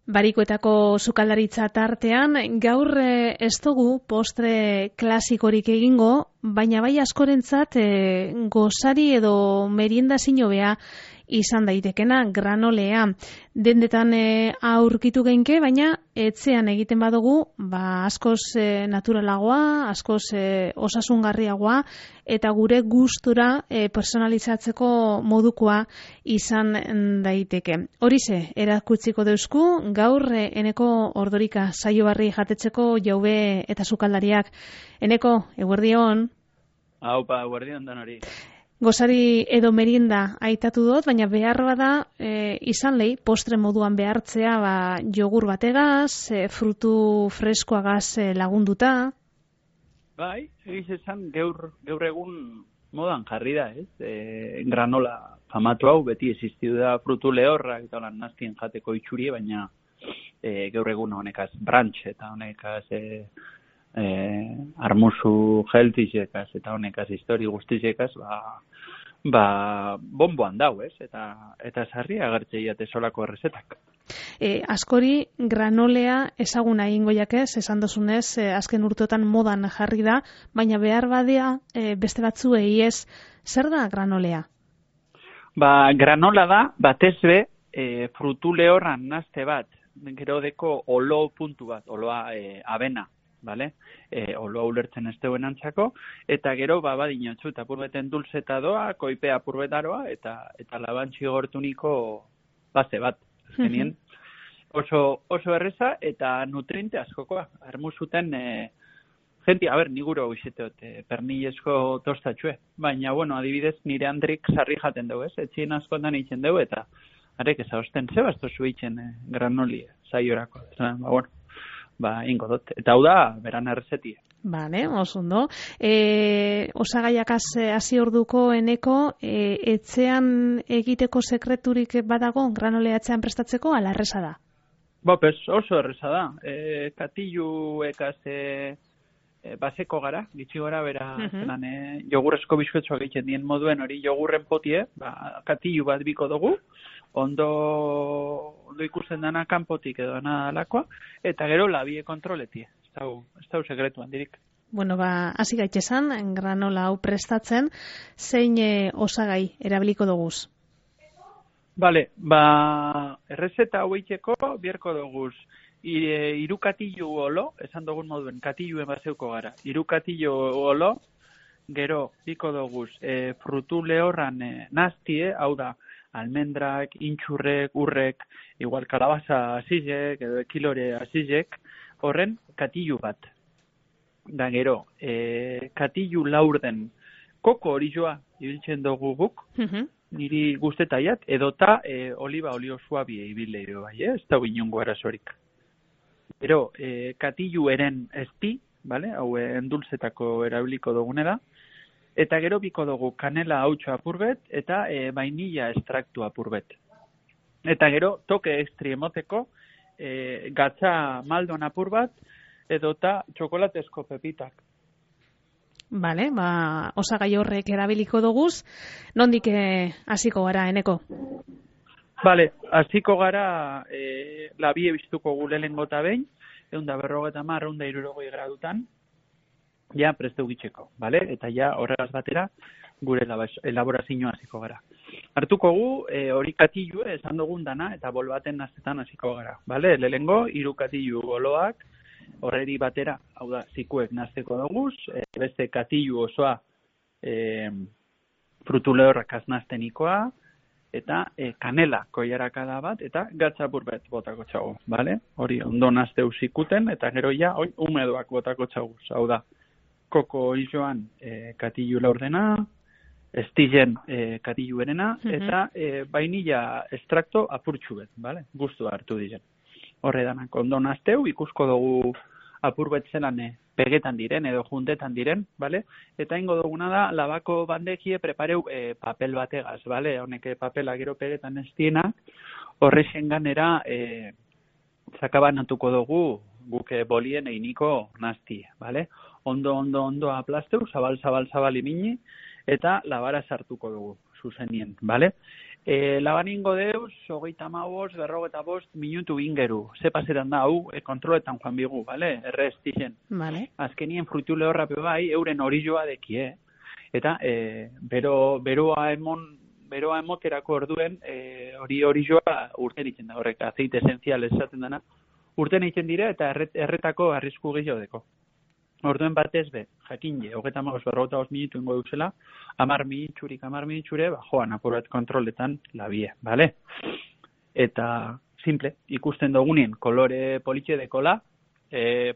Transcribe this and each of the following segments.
Barikoetako sukaldaritza tartean, gaur ez dugu postre klasikorik egingo, baina bai askorentzat gozari edo merienda zinobea izan daitekena, granolea. Dendetan aurkitu geinke, baina etxean egiten badugu, askoz naturalagoa, askoz osasungarriagoa, eta gure gustura personalizatzeko modukoa izan daiteke. Horixe, erakutsiko deusku, gaur Eneko Ordorika saiobarri jatetzeko jaube eta sukaldariak. Eneko, eguerdion? Aupa, eguerdion dan hori. Gozari edo merienda aitatu dut, baina behar bada izan lehi, postre moduan behartzea jogur bategaz, frutu freskoagaz lagunduta. Bai, egiz esan gaur egun modan jarri da, ez? Granola famatu hau beti existidu da frutu lehorrak eta holan naztien jateko itxurie, baina gaur egun honekaz brunch eta honekaz armusu jeltizekaz eta honekaz histori guztizekaz, bonboan dau, ez? Eta sarri agertzei atesolako errezetak. Askori granolea ezaguna egingo jakez, esan dozunez, azken urteotan modan jarri da, baina behar badea beste batzuei ez, zer da granolea? Granola da, batez be, frutu lehorran nazte bat, gero deko olo puntu bat, oloa abena. Vale? Oloa ulertzen ez deuen antzako, eta gero badinotzu eta apurbeten dulzeta doa, koipea apurbetaroa, eta labantxi gortuniko base bat. Zenien, oso erreza eta nutriente askokoa. Armuzuten, niguro guizeteot, pernilezko tostatxue. Baina, adibidez, nire Andrik sarri jaten dugu, ez? Etxien askotan eitzen dugu, eta arek ezaosten, zebazto zu eitzen granolia, zaiorako. Ingo dut. Eta hau da, beran errezetia. Bale, osundo. Osagaiakaz hasi orduko Eneko, etxean egiteko sekreturik badago, granolea etxean prestatzeko, ala erreza da? Oso erreza da. Katillu ekaz baseko gara, gitxi gara, bera, jogurrezko bizkotxoak egiten dien moduen hori jogurren potie, katillu bat biko dugu, ondo ikusten dana kanpotik edo dana alakoa, eta gero labie kontroletie. Ez dau sekretu handirik. Hasi gaitxesan, granola hau prestatzen, zein osagai erabiliko duguz? Bale, errezeta hau eiteko bierko duguz. Hiru katillu olo, esan dugun moduen, katilluen bazeuko gara. Hiru katillu olo, gero biko duguz frutu lehorran naztie, hau da, almendrak, intxurrek, urrek, igual kalabaza azizek, edo ekilore azizek, horren katillu bat. Da gero, katillu laurden koko hori joa ibiltzen dugu guk, niri guztetaiat, edota oliba olio suabie ibildeiro bai, ez da inongo arazorik. Gero, katillu eren ezti, vale? Hau endulzetako erabiliko dugunera, eta gero biko dugu kanela hautsu apurbet eta vainilla estraktu apurbet. Eta gero toke ekstri emoteko gatza maldon apur bat edota txokolatezko pepitak. Bale, osagai horrek erabiliko duguz. Nondik hasiko gara, Eneko? Bale, hasiko gara labie biztuko gulelen gota behin, 150, 160 gradutan, ja preste ugitzeko, bale? Eta ja horregaz batera gure elaborazioa hasiko gara. Hartuko gu, hori katillu esan dugun dana eta bol baten naztetan hasiko gara, bale? Lehengo, 3 katillu oloak, horreri batera, hau da, zikuek nazteko duguz, beste katillu osoa frutu lehorrak aznaztenikoa, eta kanela koiarakada bat, eta gatzapur bet botako txagu, bale? Hori ondo nazte usikuten, eta gero ja, humedoak botako txagu, hau da, koko izoan katillu laurdena, estilen katillu berena, eta vainilla estrakto apurtxu bet, bale? Gustu hartu diren. Horre danak, ondo nazteu, ikusko dugu apurbet zelan pegetan diren edo juntetan diren, bale? Eta ingo duguna da, labako bandekie prepareu papel bategaz, bale? Honek papela gero pegetan ez dienak, horrexen ganera zakabanatuko dugu guke bolien einiko nazti, bale? Ondo aplasteu, zabal imini, eta labara sartuko dugu. zuzenien, bale? Labaningo deuz, 35-45 minutu ingeru. Ze pasetan da, hau, kontroletan joan bigu, bale? Errez, tixen. Vale. Azkenien fruitu lehorrape bai, euren orilloa dekie. Eta, beroa emoterako orduen, orilloa urten egiten da, horrek, azeite esenzial esaten dena, urten egiten dira eta erretako arrisku gehiago deko. Orduen batez be, jakinje, 35-45 minutu ingo duzela, 10 minutxure, joan apurat kontroletan labie, bale? Eta, simple, ikusten dugunien kolore politxe dekola,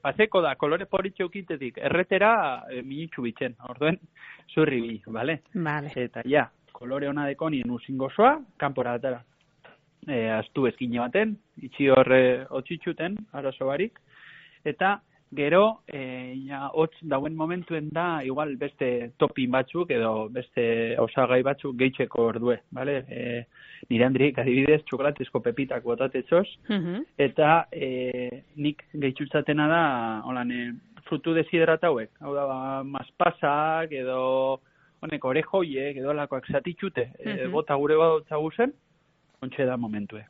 paseko da, kolore politxe ukitetik, erretera minutxu bitzen, orduen, zurri bi, bale? Vale. Eta ja, kolore hona dekonien usin gozoa, kanpora datara. Aztu ezkine baten, itxi horre otxitxuten, arazo barik, eta gero, hotz dauen momentuen da, igual beste topin batzuk edo beste osagai batzuk gehitzeko ordue, bale? Nire handrik, adibidez, txokolatezko pepitak botatetxoz, eta nik gehitzutzatena da, holan, frutu desideratauek, hau da, maspasak edo, honek, orejoiek edo lakoak zatitxute, bota gure badotzagu zen, ontxe da momentue.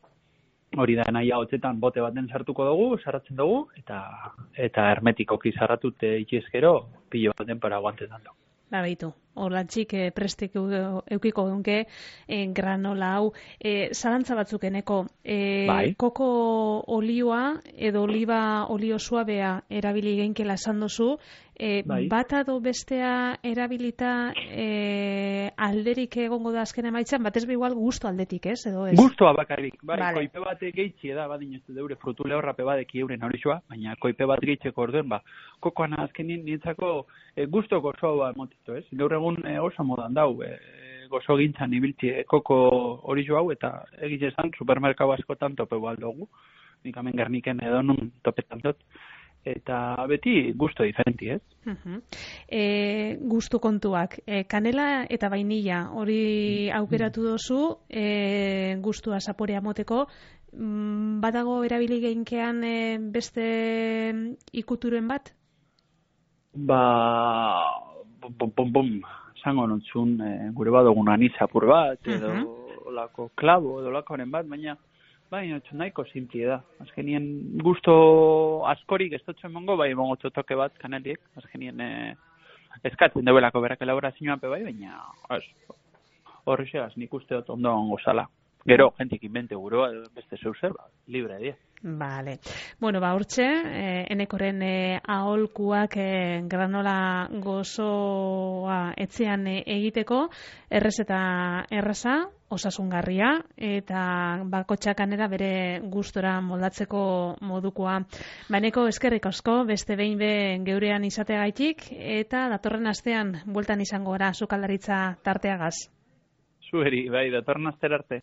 Hori da nahi hotzetan bote baten sartuko dugu, sarratzen dugu, eta hermetikoki sarratute itxizkero, pilo baten para aguantetan dugu. Baitu, horlatxik prestik eukiko dunke granola hau. Zalantza batzuk eneko, koko olioa edo oliba olio suabea erabili geinkela esan duzu, bata do bestea erabilita alderik egongo da azken emaitzan, batez be igual gusto aldetik, ez? Edo ez? Gustoa bakarrik, koipe bate geitxi da, badin ez deure frutu lehorrape badeki euren horixoa, baina koipe bat geitxeko orduen, kokoan azkenin nintzako gusto gozoa emotito, ez? Gaur egun oso modan dau, gozo gintzan ibiltzi koko horixo hau, eta egitezan supermerkau askotan tope baldogu, nik hemen Gerniken edo nun topetan dut. Eta beti gusto diferenti, ez? Gustu kontuak. Kanela eta vainilla hori aukeratu dozu, gustua zaporea moteko. Badago erabili geinkean beste ikuturen bat? Zango nontzun, gure badogun aniz apur bat, edo lako klabo, edo lakoren bat, baina nahiko simplie da. Azkenien gusto askorik ez dutxen mongo, bai mongo toke bat kaneliek, azkenien eskatzen deuelako berak elaborazioan pe bai, baina horri xegaz nik uste dut ondo ongo zala. Gero, jentik invente guroa, beste zeuzer, libre die. Vale. Bueno, hortxe, enekoren aholkuak granola gozoa etxean egiteko, errez eta erraza, osasungarria, eta bakotxakanera bere gustora moldatzeko modukoa. Baneko eskerrik asko, beste behin geurean izateagaitik, eta datorren astean bueltan izango gara sukaldaritza tarteagaz. Zueri, bai, datorren aster arte.